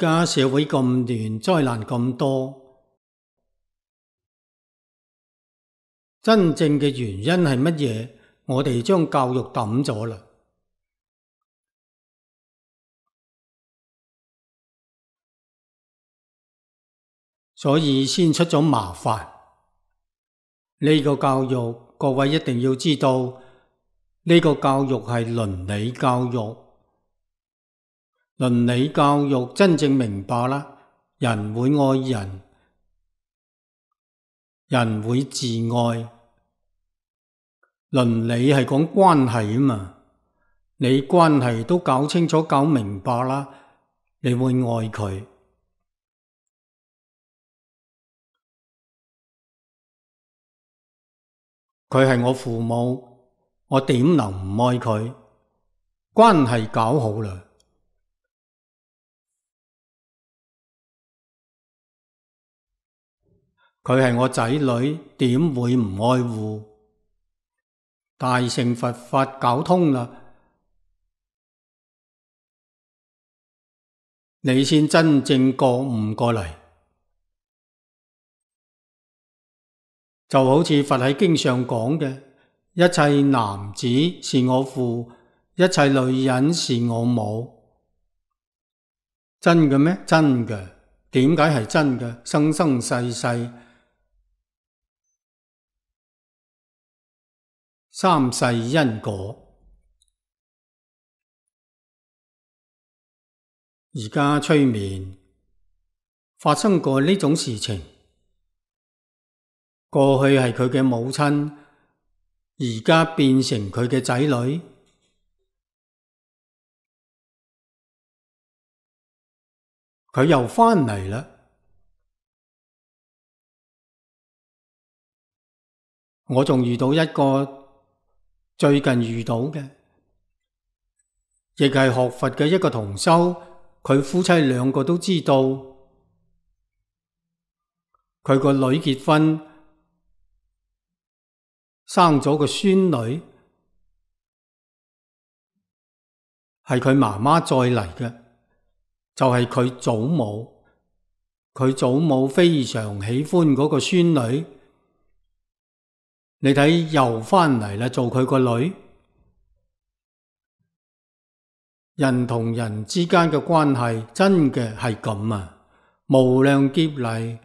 家社會咁亂，災難咁多，真正嘅原因係乜嘢？我哋將教育抌咗啦，所以先出咗麻煩。呢個教育，各位一定要知道，呢個教育係倫理教育。倫理教育真正明白啦，人會愛人，人會自愛。倫理係講關係啊嘛，你關係都搞清楚、搞明白啦，你會愛佢。佢係我父母，我點能唔愛佢？關係搞好啦。佢係我仔女，點會唔愛護？大乘佛法搞通啦，你先真正覺悟過嚟。就好似佛喺經上講嘅，一切男子是我父，一切女人是我母。真嘅咩？真嘅。點解係真嘅？生生世世三世因果。而家催眠發生過呢種事情，過去係佢嘅母親，而家變成佢嘅仔女，佢又返嚟啦。我仲遇到一個最近遇到嘅，亦係學佛嘅一個同修，佢夫妻兩個都知道，佢個女結婚，生咗個孫女，係佢媽媽再嚟嘅，就係佢祖母。佢祖母非常喜歡嗰個孫女，你睇又返嚟啦，做佢個女。人同人之間嘅關係真嘅係咁啊！無量劫嚟，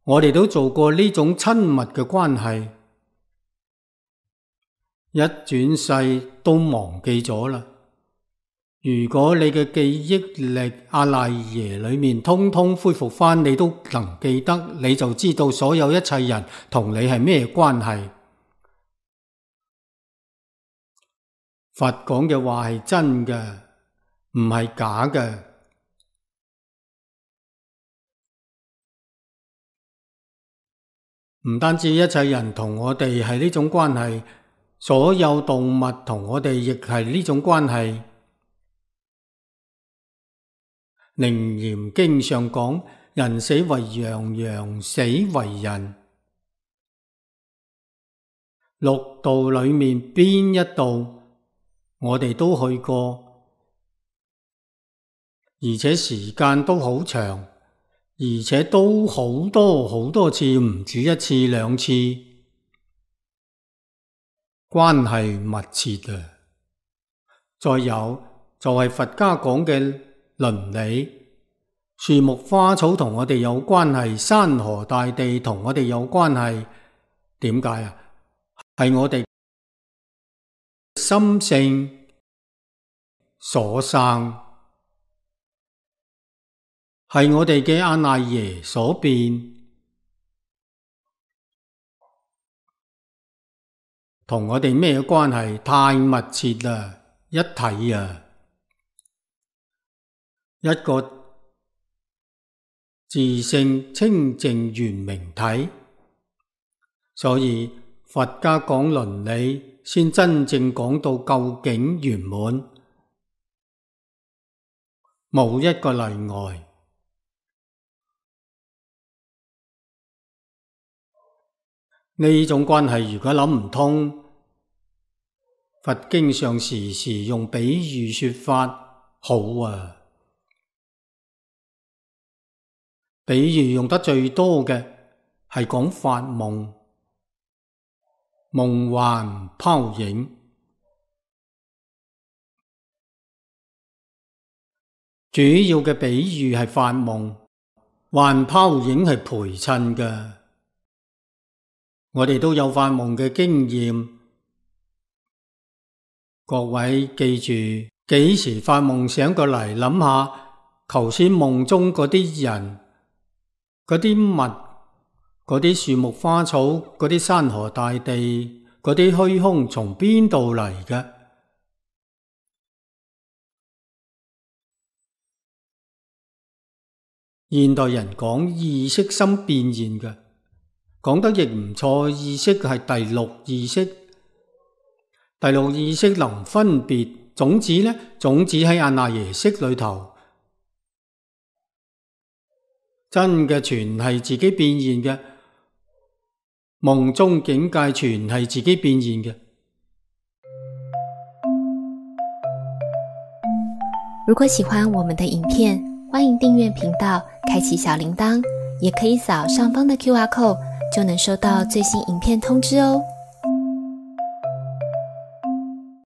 我哋都做過呢種親密嘅關係，一轉世都忘記咗啦。如果你嘅記憶力阿賴耶裏面通通恢復返，你都能記得，你就知道所有一切人同你係咩關係。佛講嘅話係真嘅，唔係假嘅。唔單止一切人同我哋係呢種關係，所有動物同我哋亦係呢種關係。楞嚴經上講，人死為羊，羊死為人。六道裏面邊一道我哋都去過，而且時間都好長，而且都好多好多次，唔止一次兩次，關係密切啊！再有就係佛家講嘅倫理，樹木花草同我哋有關係，山河大地同我哋有關係。點解啊？係我哋心性所生，係我哋嘅阿賴耶所變，同我哋咩關係？太密切啦，一體啊！一個自性清淨圓明體，所以佛家講倫理，先真正講到究竟圓滿，冇一個例外。呢種關係如果諗唔通，佛經上時時用比喻說法，好啊！比喻用得最多嘅係講發夢，夢幻泡影。主要嘅比喻係發夢，幻泡影係陪襯嘅。我哋都有發夢嘅經驗，各位記住，幾時發夢醒過嚟，諗下頭先夢中嗰啲人、嗰啲物、嗰啲樹木花草、嗰啲山河大地、嗰啲虛空從邊度嚟嘅？現代人講意識心變現嘅，講得亦唔錯。意識係第六意識，第六意識能分別。種子呢？種子喺阿那耶識裏頭，真嘅全係自己變現嘅，夢中境界全係自己變現嘅。如果喜歡我們的影片，歡迎訂閱頻道，開啟小鈴鐺，也可以掃上方的QR code，就能收到最新影片通知哦。